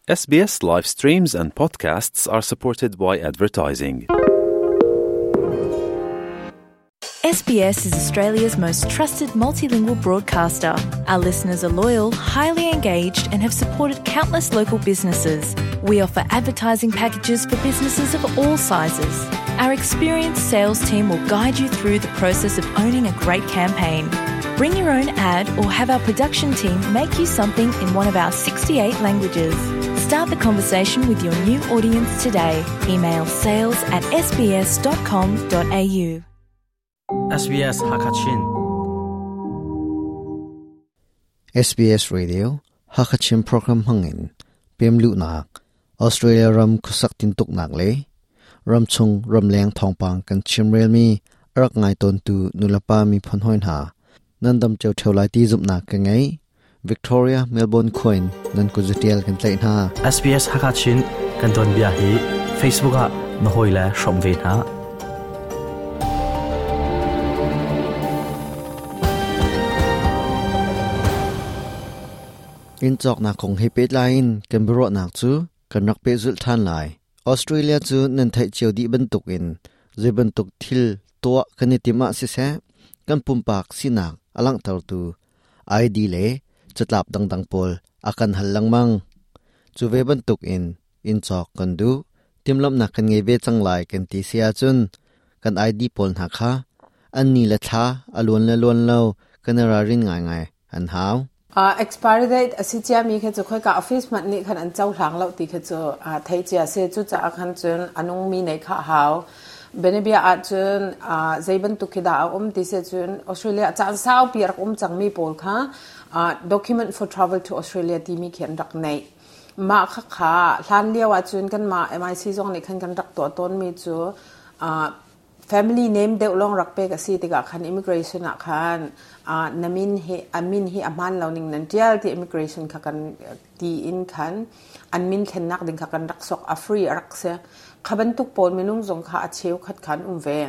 SBS live streams and podcasts are supported by advertising. SBS is Australia's most trusted multilingual broadcaster. Our listeners are loyal, highly engaged, and have supported countless local businesses. We offer advertising packages for businesses of all sizes. Our experienced sales team will guide you through the process of owning a great campaign. Bring your own ad or have our production team make you something in one of our 68 languages. Start the conversation with your new audience today. Email sales at sbs.com.au. SBS Hakachin SBS Radio Hakachin program hangin pemlu nak Australia ram khusak tin tuk nak le ramchung ramleng thawngpang kan chimrel mi arak ngai ton tu nulapa mi phon hoin ha nan dam cheu theu lai ti zumna ka ngai Victoria Melbourne coin nan ku zutial kan tlai hna SBS Hakachin kan don bia hi Facebook ah na hoi le hrom ve hna. In chok na kong he pet lain kan bro nak chu kan rak pe zul than lai Australia chu nan thai cheu di ban tuk in zai ban tuk thil to kan tima si se kan pumpak sinak alang tar tu ID le chatlap dang dang pol akan hal langmang chu ve ban tuk in in chok kan du timlam na kan nge ve chang lai kan ti sia chun kan ID pol na kha an ni la tha alon la lon lo kan ra rin ngai ngai an hau Expiry date a si ciami kha cu khoika office hmanh nih khan an cohlang lo ti kha cu theih cia a si. Cucaah khan cun a nungmi nei kha a hau. Bianabia ahcun zei bantuk khi dah a um ti si ahcun Australia ah caan saupi a rak um cangmi pawl kha document for travel to Australia timi khi an rak neih. Mah khakha hlan lio ahcun kanmah MIC zong nih khan kan rak tuah tawnmi cu Family name deuh lawng rak pek a si tikah khan immigration ah khan na min hi a min hi a hmaan lo ning nan ṭial ti immigration kha kan ti in khan an min thlennak ding kha kan rak sok a free a rak si. Kha bantuk pawl minung zong kha a cheukhat kha an um ve.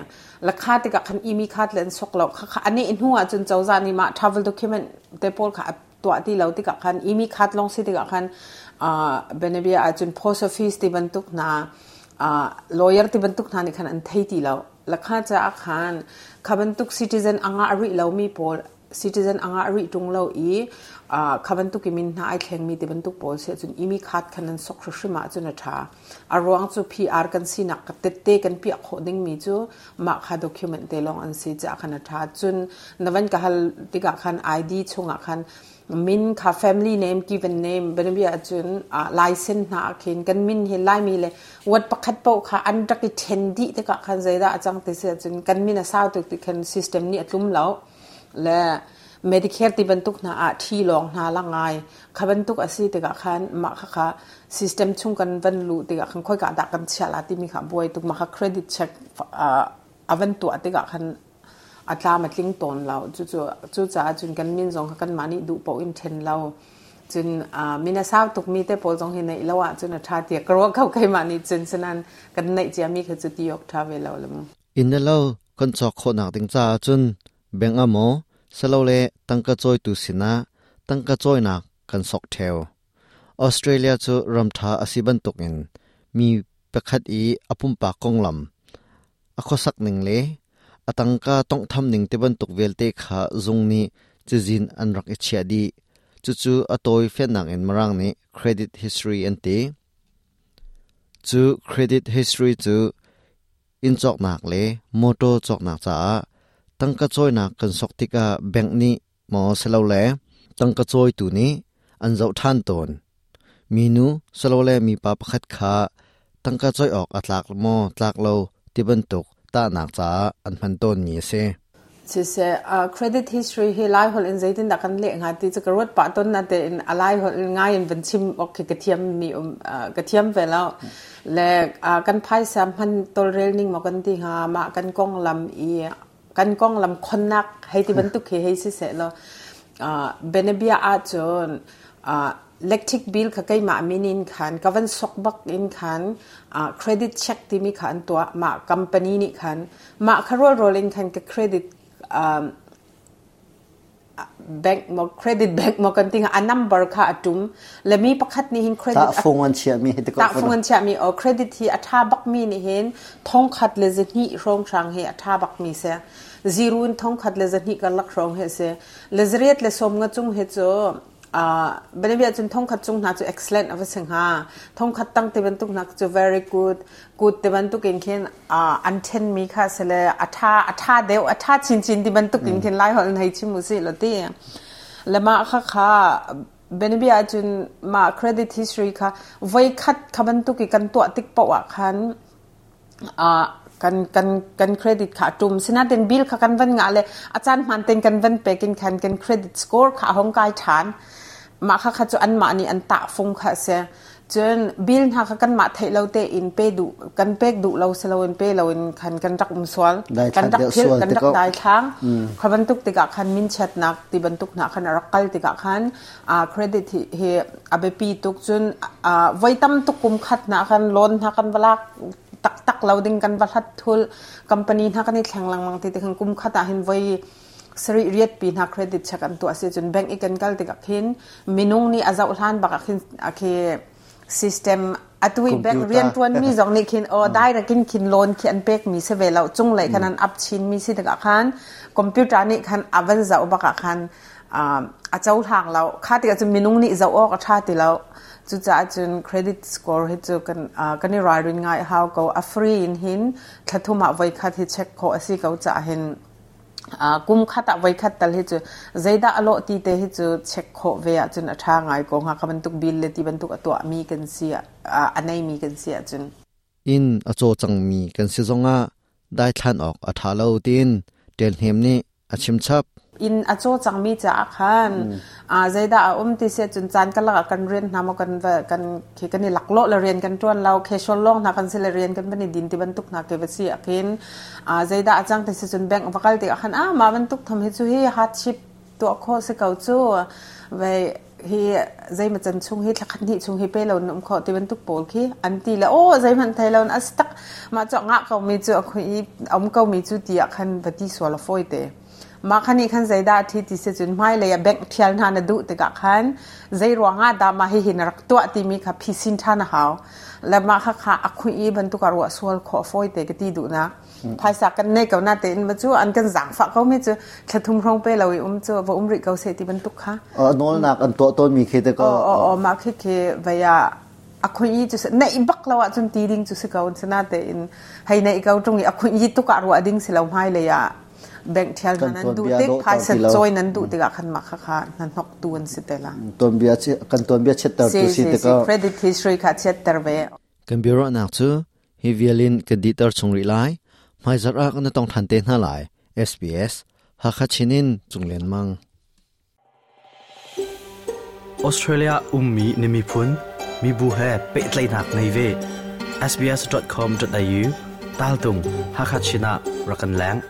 Lakha tikah khan imi khat le an sok lo. Khakha a neh hnu ahcun cozah nih mah travel document te pawl kha a tuah ti lo tikah khan imi khat lawng si tikah khan bianabia ahcun post office ti bantuk hna lawyer ti bantuk hna nih khan an thei ti lo. Lakha caah khan kha bantuk citizen a ngah rih lomi pawl citizen a ngah rih ṭung lo i kha bantuk i min hna ai thlengmi ti bantuk pawl si ahcun imi khat khan an sok hrimhrim ahcun a ṭha. A ruang cu PR kan sinak tette kan piah khawh dingmi cu mah kha document te lawng an si caah khan a ṭha. Cun na van ka hal tikah khan ID chungah khan min kha family name, given name bianabia ahcun license hna ah khin kan min hi Laimi le word pakhat paoh kha an rak i ṭhen dih tikah khan zeidah a cang ti si ahcun kan min a sau tuk ti khan system nih a tlum lo. Le Medicare ti bantuk hna ah ṭhi lawng hna la ngai. Kha bantuk a si tikah khan mah khakha system chung kan van luh tikah khan khoika dah kan chiah la timi kha buai tuk. Mah kha credit check a van tuah tikah khan a tlam a tling tawn lo. Cucu cucaah cun kan min zong kha kanmah nih duh paoh in ṭhen lo. Cun min a sau tukmi te pawl zong hi neih lo ahcun a ṭha tiah ka ruah ko keimah nih cun sinain kan neih ciami kha cu ti awk ṭha ve lo le mu. Inn le lo kan cawk khawhnak ding caah cun bank ah maw silole tangka cawitu sinah tangka cawinak kan sok ṭheo. Australia cu ram ṭha a si bantukin mi pakhat i a pumpak konglam, a khuasak ning le a tangka tawnghtham ning ti bantuk vialte kha zung nih cazin an rak i chiah dih. Cucu a tawi fiannak in Mirang nih credit history an ti. Cu credit history cu inn cawknak le motor cawknak caah tangka cawinak kan sok tikah bank nih maw silole tangka cawitu nih an zoh ṭhan tawn. Minu silole mipa pakhat kha tangka cawi awk a tlak maw tlak lo ti bantuk tahnak caah an hman tawnmi a si. Siseh, credit history hi Lai holh in zeitindah kan leh hnga ti cu ka ruat pah tawn natein a Lai holh in ngai in van chim awk khi ka thiam mi um ka thiam ve lo. Le kan phaisa hman tawlrel ning maw kan ti hnga mah kan konglam i kan konglam khonnak hei ti bantuk khi hei si seh law bianabia ahcun electric bill kha keimah min in khan ka van sok bak in khan credit check timi kha an tuah mah company nih khan mah kha rualrual in khan ka credit. Bank mo credit bank mo kan tinga a number kha atum le mi pakhat ni hin credit ta fung an chia mi ta fung an chia mi o credit hi atha bak mi ni hin thong khat le zahni rong hrang hi atha bak mi se zero in thong khat le zahni ka lak rong he se le zariat le som nga chung he chu banabia cun thong khat chung hna chu excellent ava sing ha thong khat tang te bantuk nak chu very good good te bantuk in khin an then mi kha sele atha atha deu atha chin chin ti bantuk in khin lai hol hei chim u si lo ti lama kha kha benabia cun ma credit history kha voi khat kha bantuk i kan tuah tik poah khan kan kan kan credit kha tum sinatin bill kha kan van nga le a caan hman ten kan van pekin khan kan credit score kha hong kai than mah kha kha cu an mah nih an tah fung kha se cun bill hna kha kan mah theih lo te in pe duh kan pek duh lo si lo in pe lo in khan kan rak um sual kan rak phil kan rak dai thlang kha bantuk tikah khan min chiatnak ti bantuk hna khan a rak kal tikah khan credit hi a biapi tuk cun voi tam tuk kum khat hna khan loan hna kan va lak taktak lo ding kan va hlat thul company hna kan i thleng lengmang ti ti khan kum khat ah hin voi sarih riat pi hna credit check an tuah si cun bank i kan kal tikah khin minung nih a zoh hlan bak ah khin a khi system atu i bank rian tuan mi zong nih khin o direct in khin loan khi an pek mi si ve lo cung lei khan an up chin mi si tikah khan computer nih khan a van zoh bak ah khan a cohlang lo kha tikah cun minung nih zoh awk a ṭha ti lo cucaah cun credit score hi cu kan kan i ralrin ngai hau ko a free in hin thlathum ah voikhat hi check khawh a si ko caah hin kum khat ah voikhat tal hi cu zeidah a lawh ti te hi cu check khawh ve ahcun a ṭha ngai ko hnga kha bantuk bill le ti bantuk a tuahmi kan si a neimi kan si ahcun Inn a caw cangmi kan si zongah daithlan awk a ṭha lo tiin Ṭelhnem nih a chim chap. Inn a caw cangmi caah khan zeidah a um ti si ahcun caan karlak ah kan rian hna maw kan kan khi kan i laklawh le rian kan ṭuan lo casual lawng hna kan si le rian kan van i din ti bantuk hna ke va si ah khin zeidah a cang ti si cun bank va kal tikah khan ah mah bantuk tham hi cu hi hardship tuah khawh si ko cu ve hi zeimaw can chung hi thlakhat hnih chung hi pe lo na um khawh ti bantuk pawl khi an ti le aw zeihmanh thei lo as tak mah cu ngah ko mi cu a khui i um ko mi cu ti ah khan va ti sual a fawi te mah khan nih khan zeidah thi ti si cun hmailei ah bank thial hna na duh tikah khan zei ruangah dah mah hihi na rak tuah timi kha phisin ṭhan a hau le mah kha kha a khui i bantuk ah ruah sual khawh a fawi te ka ti duhnak phaisa kan nei ko na tein ma cu an kan zaangfah ko mi cu thlathum hrong pe lo i um cu va um rih ko se ti bantuk kha nawlnak an tuah tawn mi khi te ko o ma khi khi vaya a khui i cu nei bak lo ah cun ti ding cu si ko sana te in hei nei ko tung i a khui i tuk ah ruah ding si lo hmai lei ah bank thial nan an duh tik phaisa choi nan duh tikah khan ma kha kha na hnok tu an si te la ton bia kan ton bia chetter tu si te ko credit history kha chetter ve Kan biaruahnak cu hi vial in kan dihter chung rih lai. Hmaizarh ah kan i tong ṭhan te hna lai. SBS Hakha Chin in Cung Lian Mang. Australia ummi na miphun, mibu he pehtlaihnak ngei ve. sbs.com.au taltung Hakha Chin ah rak kan leng.